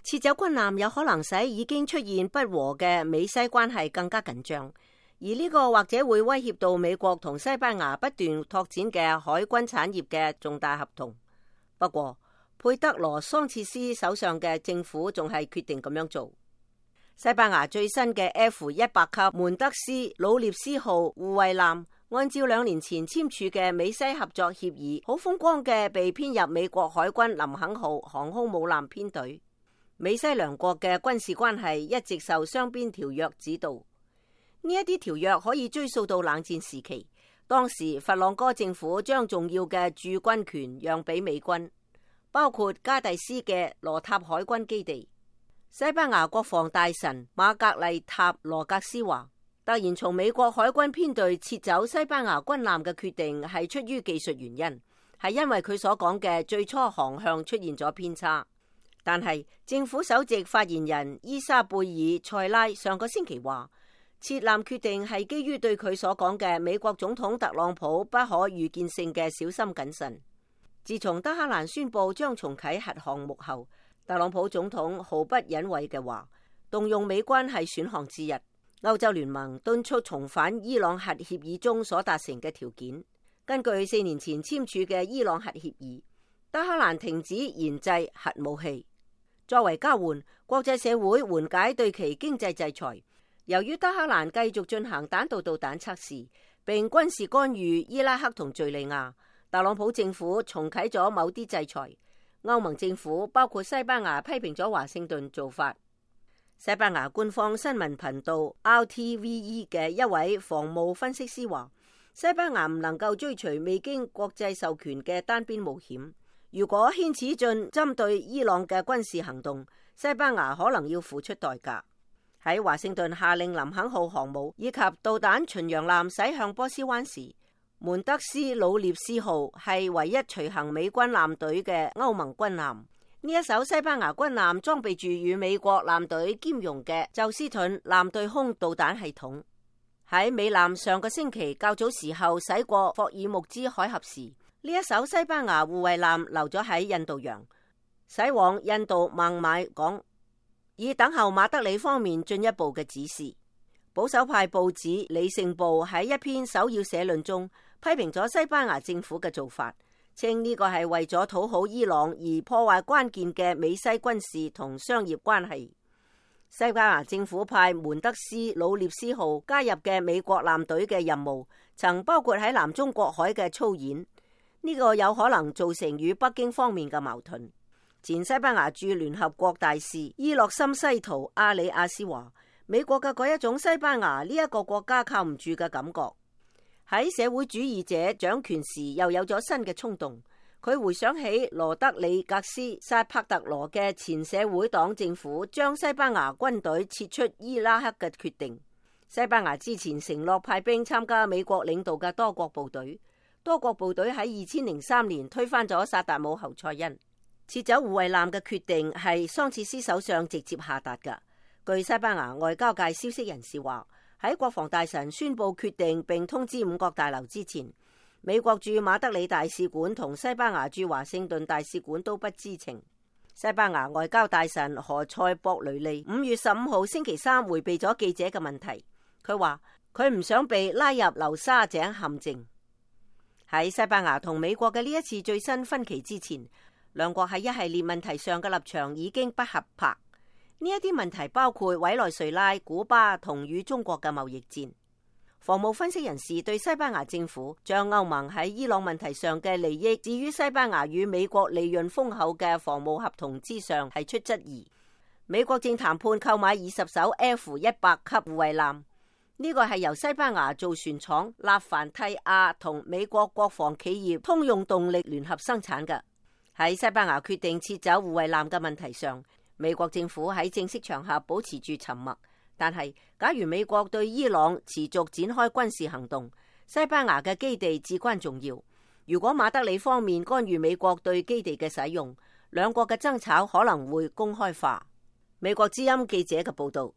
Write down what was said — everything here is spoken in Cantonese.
撤走軍艦有可能使已經出現不和嘅美西關係更加緊張，而呢個或者會威脅到美國同西班牙不斷拓展嘅海軍產業嘅重大合同。不過，佩德羅桑切斯手上嘅政府仲係決定咁樣做。西班牙最新嘅 F-100級門德斯魯涅斯號護衛艦，按照2年前簽署嘅美西合作協議，好風光嘅被編入美國海軍林肯號航空母艦編隊。美西兩國嘅軍事關係一直受雙邊條約指導，呢一啲條約可以追溯到冷戰時期，當時佛朗哥政府將重要嘅駐軍權讓俾美軍，包括加第斯嘅羅塔海軍基地。西班牙國防大臣馬格麗塔羅格斯話，突然從美國海軍編隊撤走西班牙軍艦嘅決定係出於技術原因，係因為佢所講嘅最初航向出現咗偏差。但係政府首席發言人伊莎貝爾塞拉上個星期話，撤艦決定係基於對佢所講嘅美國總統特朗普不可預見性嘅小心謹慎。自從德黑蘭宣布將重啟核項目後，特朗普總統毫不隱諱嘅話，動用美軍係選項之一。歐洲聯盟敦促重返伊朗核協議中所達成嘅條件。根據4年前簽署嘅伊朗核協議，德黑蘭停止研製核武器。作為交換，國際社會緩解對其經濟制裁。由於德黑蘭繼續進行彈道導彈測試，並軍事干預伊拉克同敘利亞，特朗普政府重啟咗某啲制裁。歐盟政府包括西班牙批評咗華盛頓做法。西班牙官方新聞頻道 RTVE 嘅一位防務分析師話，西班牙唔能夠追隨未經國際授權嘅單邊冒險。如果牽此進針對伊朗嘅軍事行動，西班牙可能要付出代價。喺華盛頓下令林肯號航母以及導彈巡洋艦駛向波斯灣時，門德斯魯涅斯號係唯一隨行美軍艦隊嘅歐盟軍艦。呢一艘西班牙軍艦裝備住與美國艦隊兼容嘅宙斯盾艦對空導彈系統。喺美艦上個星期較早時候駛過霍爾木茲海峽時，呢一艘西班牙護衛艦留咗喺印度洋，駛往印度孟買港，以等候馬德里方面進一步嘅指示。保守派報紙《理性報》喺一篇首要社論中批評咗西班牙政府嘅做法，稱呢個係為咗討好伊朗而破壞關鍵嘅美西軍事同商業關係。西班牙政府派門德斯魯涅斯號加入嘅美國艦隊嘅任務，曾包括喺南中國海嘅操演。呢個有可能造成與北京方面嘅矛盾。前西班牙駐聯合國大使伊洛森西圖阿里亞斯話，美國嘅嗰一種西班牙呢一個國家靠唔住嘅感覺，喺社會主義者掌權時又有咗新嘅衝動。佢回想起羅德里格斯薩帕特羅嘅前社會黨政府將西班牙軍隊撤出伊拉克嘅決定。西班牙之前承諾派兵參加美國領導嘅多國部隊。多國部隊喺2003年推翻咗薩達姆侯賽因。撤走護衛艦嘅決定係桑切斯手上直接下達㗎。據西班牙外交界消息人士話，喺國防大臣宣布決定並通知五角大樓之前，美國駐馬德里大使館同西班牙駐華盛頓大使館都不知情。西班牙外交大臣何塞博雷利5月15號星期三回避咗記者嘅問題，佢話佢唔想被拉入流沙井陷阱。喺西班牙同美國嘅呢一次最新分歧之前，兩國喺一系列問題上嘅立場已經不合拍。呢一啲問題包括委內瑞拉、古巴同與中國嘅貿易戰。防務分析人士對西班牙政府將歐盟喺伊朗問題上嘅利益置於西班牙與美國利潤豐厚嘅防務合同之上提出質疑。美國正談判購買20艘 F-100級護衛艦。呢個係由西班牙造船廠納凡蒂亞同美國國防企業通用動力聯合生產嘅。喺西班牙決定撤走護衛艦嘅問題上，美國政府喺正式場合保持住沉默。但係假如美國對伊朗持續展開軍事行動，西班牙嘅基地至關重要。如果馬德里方面干預美國對基地嘅使用，兩國嘅爭吵可能會公開化。美國之音記者嘅報道。